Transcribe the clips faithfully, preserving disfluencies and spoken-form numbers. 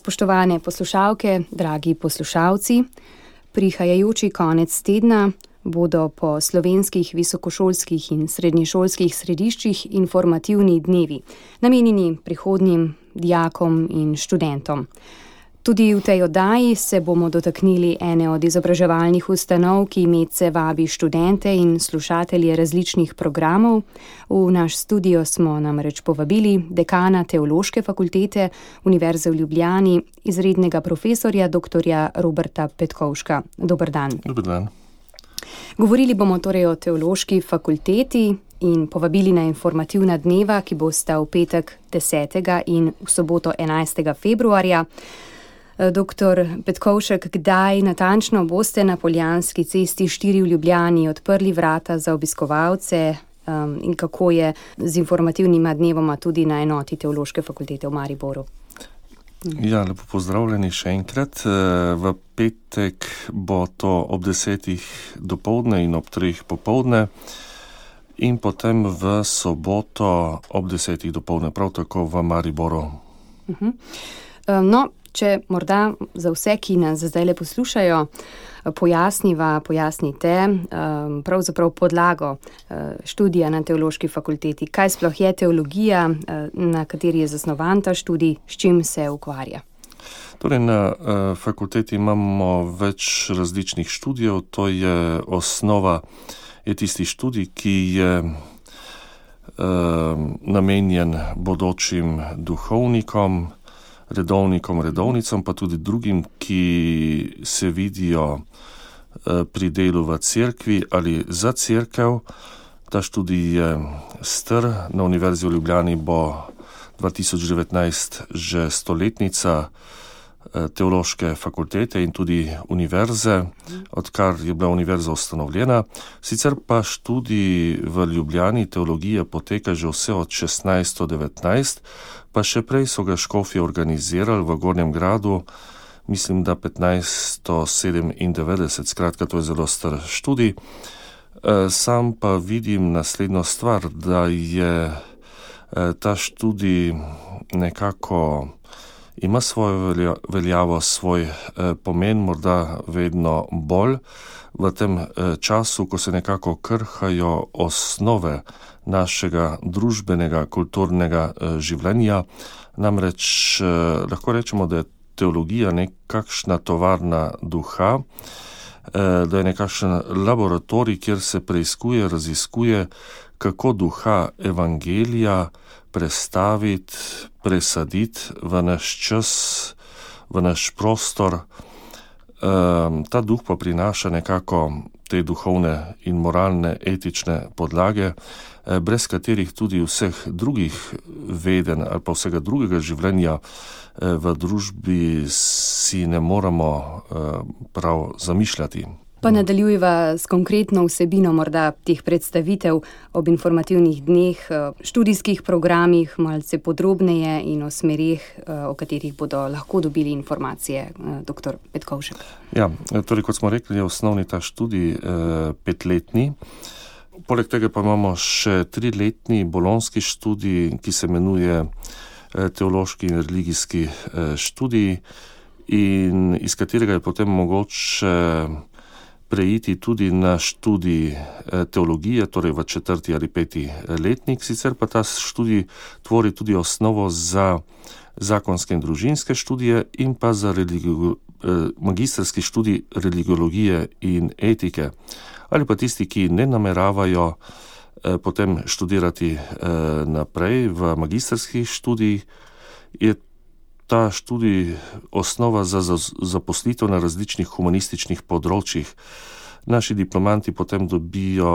Spoštovane poslušalke, dragi poslušalci, prihajajoči konec tedna bodo po slovenskih visokošolskih in srednješolskih središčih informativni dnevi, namenjeni prihodnjim dijakom in študentom. Tudi v tej oddaji se bomo dotaknili ene od izobraževalnih ustanov, ki medse vabi študente in slušatelje različnih programov. V naš studio smo namreč povabili dekana Teološke fakultete Univerze v Ljubljani, izrednega profesorja doktorja Roberta Petkovška. Dober dan. Dober dan. Govorili bomo torej o Teološki fakulteti in povabili na informativna dneva, ki bosta v petek desetega in v soboto enajstega februarja. Doktor Petkovšek, kdaj natančno boste na Poljanski cesti štiri v Ljubljani odprli vrata za obiskovalce um, in kako je z informativnima dnevoma tudi na enoti Teološke fakultete v Mariboru? Ja, lepo pozdravljeni še enkrat. V petek bo to ob desetih dopoldne in ob treh popoldne in potem v soboto ob desetih dopoldne, prav tako v Mariboru. Uh-huh. Um, no, če morda za vse, ki nas zdaj le poslušajo, pojasniva, pojasnite um, pravzaprav podlago uh, študija na Teološki fakulteti. Kaj sploh je teologija, uh, na kateri je zasnovan ta študij, s čim se ukvarja? Torej, na uh, fakulteti imamo več različnih študijev. To je osnova, je tisti študij, ki je uh, namenjen bodočim duhovnikom, redovnikom, redovnicam, pa tudi drugim, ki se vidijo pri delu v cerkvi ali za cerkev. Ta študij je star, na Univerzi v Ljubljani bo dva tisoč devetnajst že stoletnica Teološke fakultete in tudi univerze, odkar je bila univerza ustanovljena. Sicer pa študij v Ljubljani teologije poteka že vse od šestnajststo devetnajst, pa še prej so ga škofje organizirali v Gornjem Gradu, mislim, da petnajststo sedemindevetdeset, skratka, to je zelo star študij. Sam pa vidim naslednjo stvar, da je ta študij nekako ima svojo veljavo, svoj pomen, morda vedno bolj v tem času, ko se nekako krhajo osnove našega družbenega, kulturnega življenja. Namreč lahko rečemo, da je teologija nekakšna tovarna duha, da je nekakšen laboratorij, kjer se preiskuje, raziskuje, kako duha evangelija prestaviti, presaditi v naš čas, v naš prostor. Ta duh pa prinaša nekako te duhovne in moralne, etične podlage, brez katerih tudi vseh drugih vedenj ali pa vsega drugega življenja v družbi si ne moramo prav zamišljati. Pa nadaljujeva s konkretno vsebino morda teh predstavitev ob informativnih dneh, študijskih programih, malce podrobneje in o smereh, o katerih bodo lahko dobili informacije, doktor Petkovšek. Ja, torej kot smo rekli, je osnovni ta študij eh, petletni. Poleg tega pa imamo še triletni bolonski študij, ki se imenuje eh, teološki in religijski eh, študij in iz katerega je potem mogoče preiti tudi na študij teologije, torej v četrti ali peti letnik. Sicer pa ta študij tvori tudi osnovo za zakonske in družinske študije in pa za religio, magistrski študij religiologije in etike. Ali pa tisti, ki ne nameravajo potem študirati naprej v magistrskih študijih, je ta študij osnova za zaposlitev na različnih humanističnih področjih. Naši diplomanti potem dobijo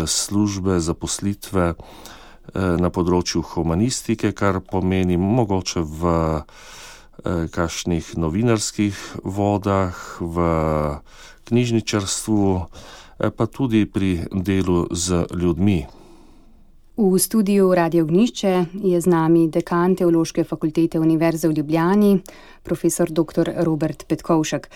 službe, zaposlitve na področju humanistike, kar pomeni mogoče v kakšnih novinarskih vodah, v knjižničarstvu, pa tudi pri delu z ljudmi. V studiu Radio Ognjišče je z nami dekan Teološke fakultete Univerze v Ljubljani, profesor doktor Robert Petkovšek.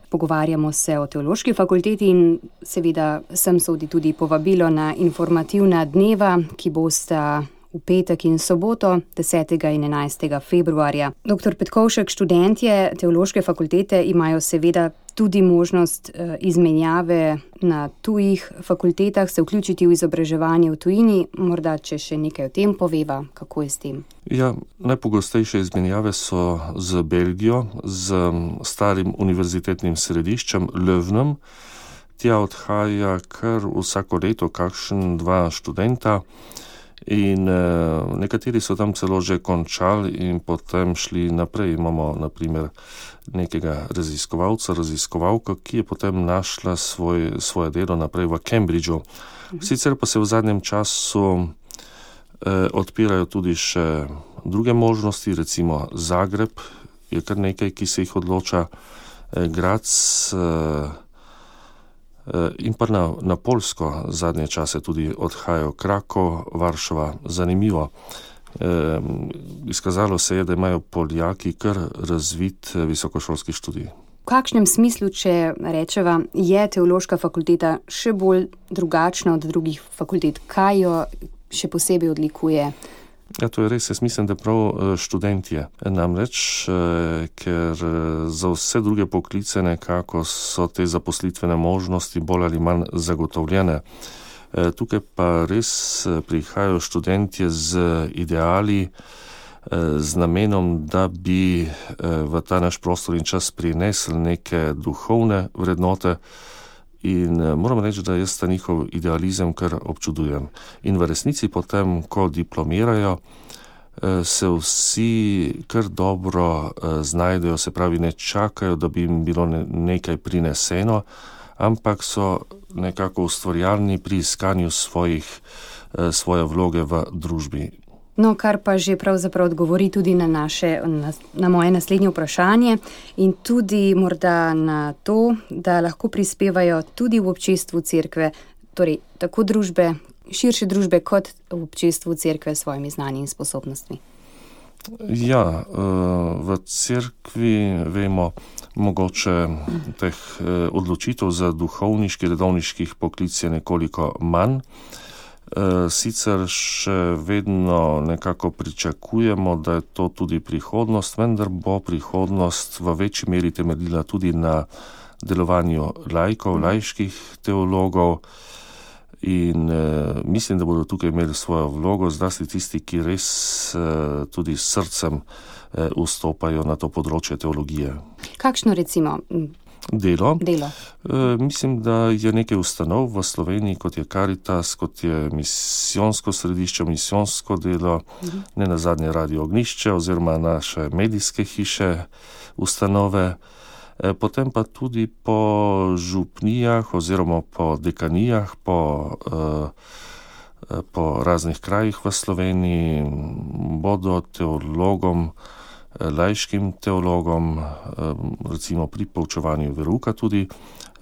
Pogovarjamo se o Teološki fakulteti in seveda sem sodi tudi povabilo na informativna dneva, ki bosta v petek in soboto, desetega in enajstega februarja. Doktor Petkovšek, študentje Teološke fakultete imajo seveda tudi možnost izmenjave na tujih fakultetah, se vključiti v izobraževanje v tujini. Morda, če še nekaj o tem poveva, kako je s tem? Ja, najpogostejše izmenjave so z Belgijo, z starim univerzitetnim središčem Leuvenom. Tja odhaja kar vsako leto kakšen dva študenta in e, nekateri so tam celo že končali in potem šli naprej. Imamo na primer nekega raziskovalca, raziskovalko, ki je potem našla svoj, svoje delo naprej v Cambridgeu. Sicer pa se v zadnjem času e, odpirajo tudi še druge možnosti, recimo Zagreb je kar nekaj, ki se jih odloča, e, Graz, e, in pa na, na Poljsko zadnje čase tudi odhajajo, Krakov, Varšava. Zanimivo. E, izkazalo se je, da imajo Poljaki kar razvit visokošolski študij. V kakšnem smislu, če rečeva, je Teološka fakulteta še bolj drugačna od drugih fakultet? Kaj jo še posebej odlikuje? Ja, to je res. Jaz mislim, da prav študentje. Namreč, ker za vse druge poklice nekako so te zaposlitvene možnosti bolj ali manj zagotovljene. Tukaj pa res prihajajo študentje z ideali, z namenom, da bi v ta naš prostor in čas prinesli neke duhovne vrednote. In moram reči, da jaz ta njihov idealizem kar občudujem. In v resnici potem, ko diplomirajo, se vsi kar dobro znajdejo, se pravi, ne čakajo, da bi jim bilo nekaj prineseno, ampak so nekako ustvarjalni pri iskanju svojih, svoje vloge v družbi. No, kar pa že pravzaprav odgovori tudi na, naše, na, na moje naslednje vprašanje in tudi morda na to, da lahko prispevajo tudi v občestvu cerkve, torej tako družbe, širše družbe kot v občestvu cerkve s svojimi znanji in sposobnostmi. Ja, v cerkvi vemo mogoče teh odločitev za duhovniški, redovniških poklic je nekoliko manj. Sicer še vedno nekako pričakujemo, da je to tudi prihodnost, vendar bo prihodnost v večji meri temeljila tudi na delovanju laikov, laiških teologov in eh, mislim, da bodo tukaj imeli svojo vlogo, zlasti tisti, ki res eh, tudi s srcem eh, vstopajo na to področje teologije. Kakšno recimo? Delo. Delo. E, mislim, da je nekaj ustanov v Sloveniji, kot je Caritas, kot je misijonsko središče, misijonsko delo, mhm. ne nazadnje Radio Ognjišče oziroma naše medijske hiše, ustanove, e, potem pa tudi po župnijah oziroma po dekanijah, po, e, po raznih krajih v Sloveniji bodo teologom, laiškim teologom, recimo pri poučevanju verouka tudi,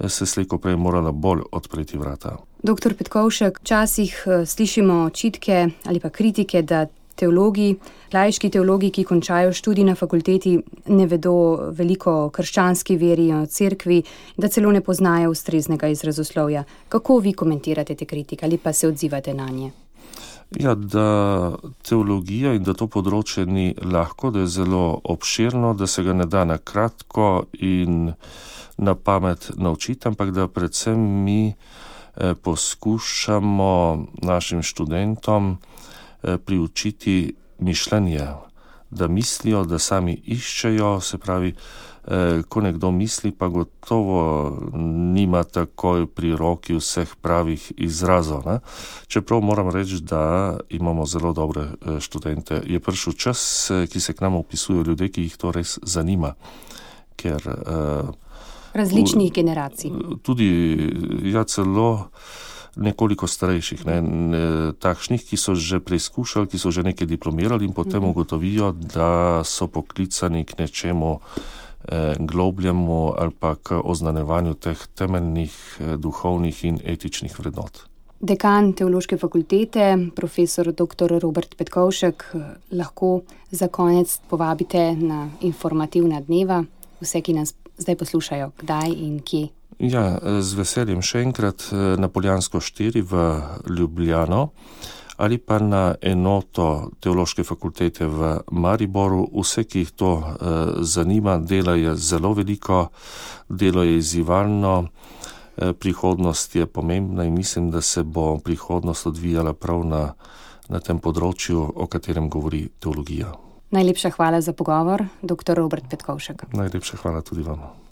se slejko prej morala bolj odpreti vrata. Doktor Petkovšek, včasih slišimo očitke ali pa kritike, da teologi, laiški teologi, ki končajo študij na fakulteti, ne vedo veliko o krščanski veri, o cerkvi, da celo ne poznajo ustreznega izrazoslovja. Kako vi komentirate te kritike ali pa se odzivate na nje? Ja, da teologija in da to področje ni lahko, da je zelo obširno, da se ga ne da na kratko in na pamet naučiti, ampak da predvsem mi eh, poskušamo našim študentom eh, priučiti mišljenje, da mislijo, da sami iščejo, se pravi, eh, ko nekdo misli, pa gotovo nima takoj pri roki vseh pravih izrazov. Ne? Čeprav moram reči, da imamo zelo dobre eh, študente. Je prišel čas, eh, ki se k nam upisujejo ljudje, ki jih to res zanima. Ker, eh, različnih generacij. Tudi, ja, celo nekoliko starejših, ne, ne, takšnih, ki so že preizkušali, ki so že nekaj diplomirali in potem mm. ugotovijo, da so poklicani k nečemu eh, globljemu ali pa k oznanevanju teh temeljnih eh, duhovnih in etičnih vrednot. Dekan Teološke fakultete, profesor doktor Robert Petkovšek, lahko za konec povabite na informativna dneva vse, ki nas zdaj poslušajo, kdaj in kje. Ja, z veseljem še enkrat na Poljansko štiri v Ljubljano ali pa na enoto Teološke fakultete v Mariboru. Vse, ki jih to zanima, dela je zelo veliko, delo je izzivalno, prihodnost je pomembna in mislim, da se bo prihodnost odvijala prav na, na tem področju, o katerem govori teologija. Najlepša hvala za pogovor, doktor Robert Petkovšek. Najlepša hvala tudi vam.